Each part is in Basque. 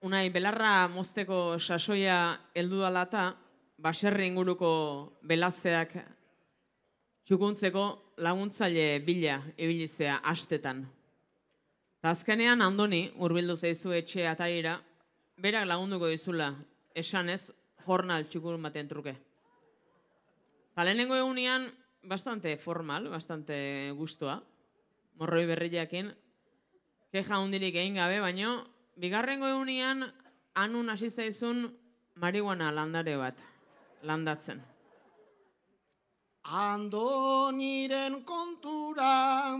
unai belarra mozteko sasoia heldu dala eta baserri inguruko belazeak txukuntzeko laguntzaile bila ibilizea astetan. Ta azkenean Andoni hurbildu zaizu etxe ataira, berak lagunduko dizula, esanez jornal txukur baten truke. Ta lehenengo egunean bastante formal, bastante gustoa, morroi berriakin, keja hundirik egin gabe, baino bigarrengo egunean Anun hasi zaizun marihuana landare bat landatzen. Andoniren kontura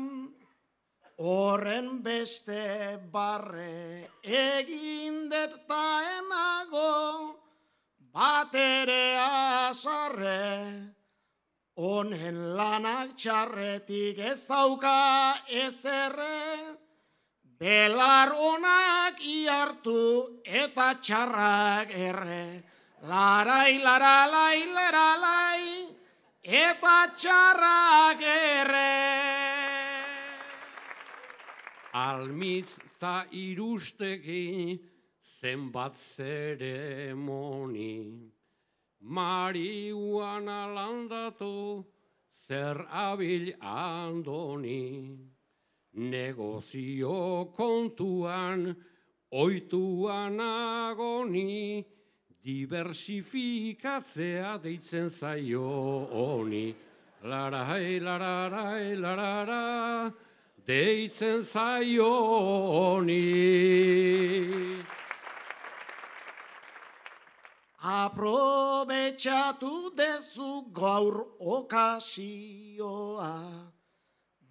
horren beste barre egin det taenago bat ere azarre honen lanak txarretik ez dauka ezerre belar onak iartu eta txarrak erre larai laralai laralai eta txarrak erre. Almitz ta irustekin zenbat zeremoni, marihuana landatu zer abil Andoni, negozio kontuan oituan agoni, diversifikatzea deitzen zaio honi. Larai, lararai, larara, deitzen zaio honi. Aprobetxatu dezu gaur okasioa,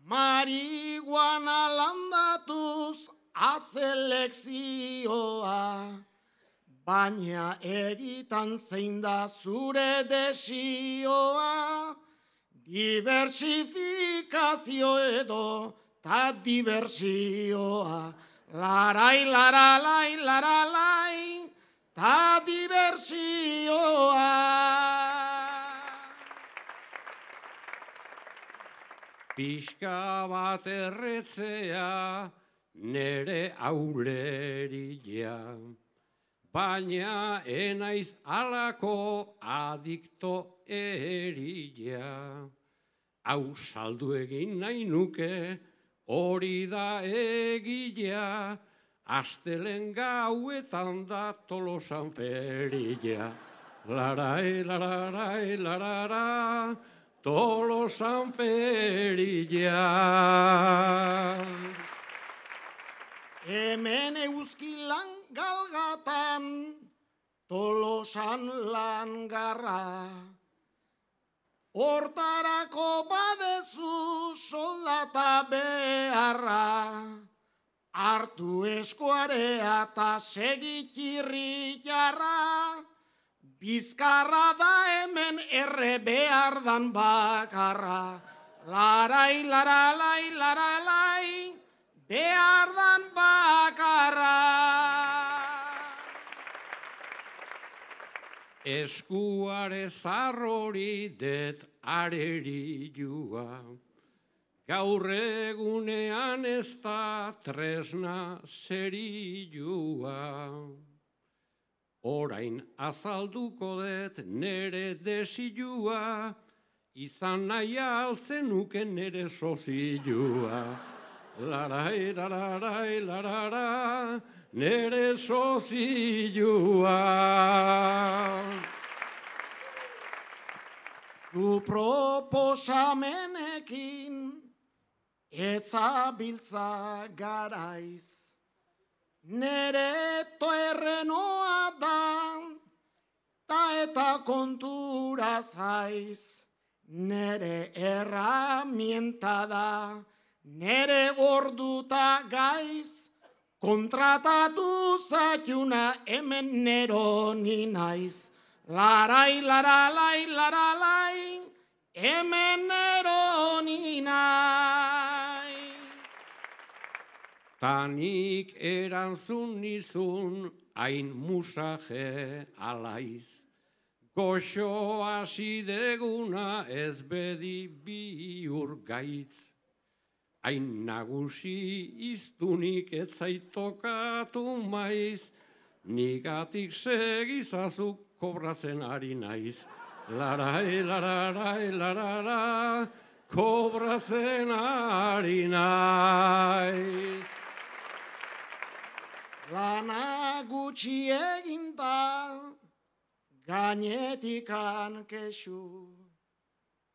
marihuana landatuz aselekzioa, baina egitan zein da zure desioa, diversifikazio edo ta diversioa, larai, laralai, laralai, ta diversioa. Pixka bat erretzea nere auleria, baina enaiz alako adikto eria. Hau saldu egin nahi nuke, hori da egilea, astelen gauetan da Tolosan feria. Larai, lararai, larara, Tolosan feria. Hemen euskilan galgatan, Tolosan langarra, hortarako badezu soldata beharra, hartu eskuarea eta segitirri jarra, bizkarra da hemen erre behar dan bakarra, larai, laralai, laralai, behar dan bakarra. Eskuare zarrori det areri jua, gaur egunean ez da tresna zerilua. Orain azalduko det nere desilua, izan nahi alzenuke nere sozilua. Larai, lararai, larara, nere sozilua. Du proposamenekin etzabiltza garaiz, nere toerrenoa da, ta eta kontura zaiz, nere erramienta da, nere orduta gaiz, kontratatu zaituna hemen neroni naiz. Larai, laralai, laralai, hemen neroni naiz. Tanik erantzun nizun hain musaje alaiz. Goxo hasi deguna ez bedi bihur gaitz. Hain nagusi iztunik ez zaitokatu maiz, nigatik segizazuk kobratzen ari naiz. Larai, lararai, larara, kobratzen ari naiz. Lana gutxi eginda, gainetikan kexu.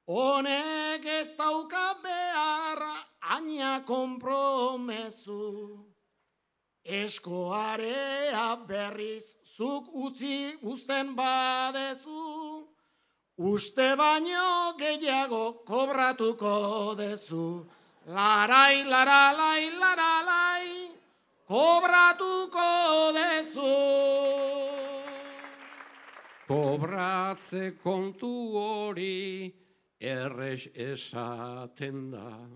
Honek ez dauka behar, aina konpromezu. Eskoarea berriz zuk utzi uzten badezu. Uste baino gehiago kobratuko dezu. Larai, laralai, laralai, kobratuko dezu. Kobratze kontu hori errez esaten da.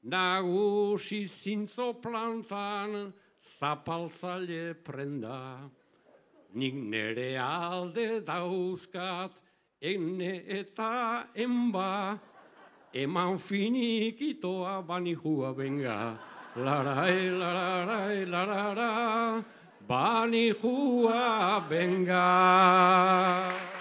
Nagusi zintzo plantan zapaltzaile prenda. Nik nere alde dauzkat ene eta enba. Eman finikitoa banijua benga. Larai, lararai, larara, banijua benga.